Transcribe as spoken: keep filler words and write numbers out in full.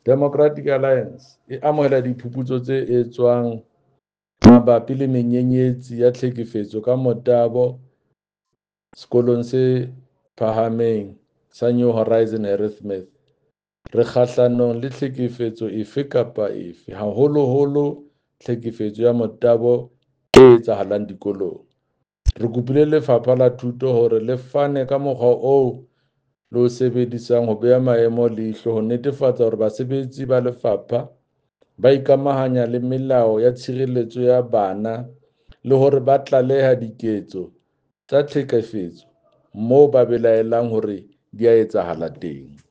Democratic Alliance e amohela diphuputso tse etswang mabapi le menyenyetsi ya tlhekefetso ka motabo Sekolong se Phahameng sa New Horizon Harrismith. Re kgahlanong le tlhekefetso efe kapa efe, haholoholo tlhekefetso ya motabo e etsahalang dikolong. Re kopile Lefapha la Thuto hore le fane ka mokgwa oo le o sebedisang ho beha maemo leihlo ho netefatsa hore basebetsi ba lefapha ba ikamahanya le melao ya tshireletso ya bana le hore ba tlaleha diketso tsa tlhekefetso moo ba belaelang hore di a etsahala teng.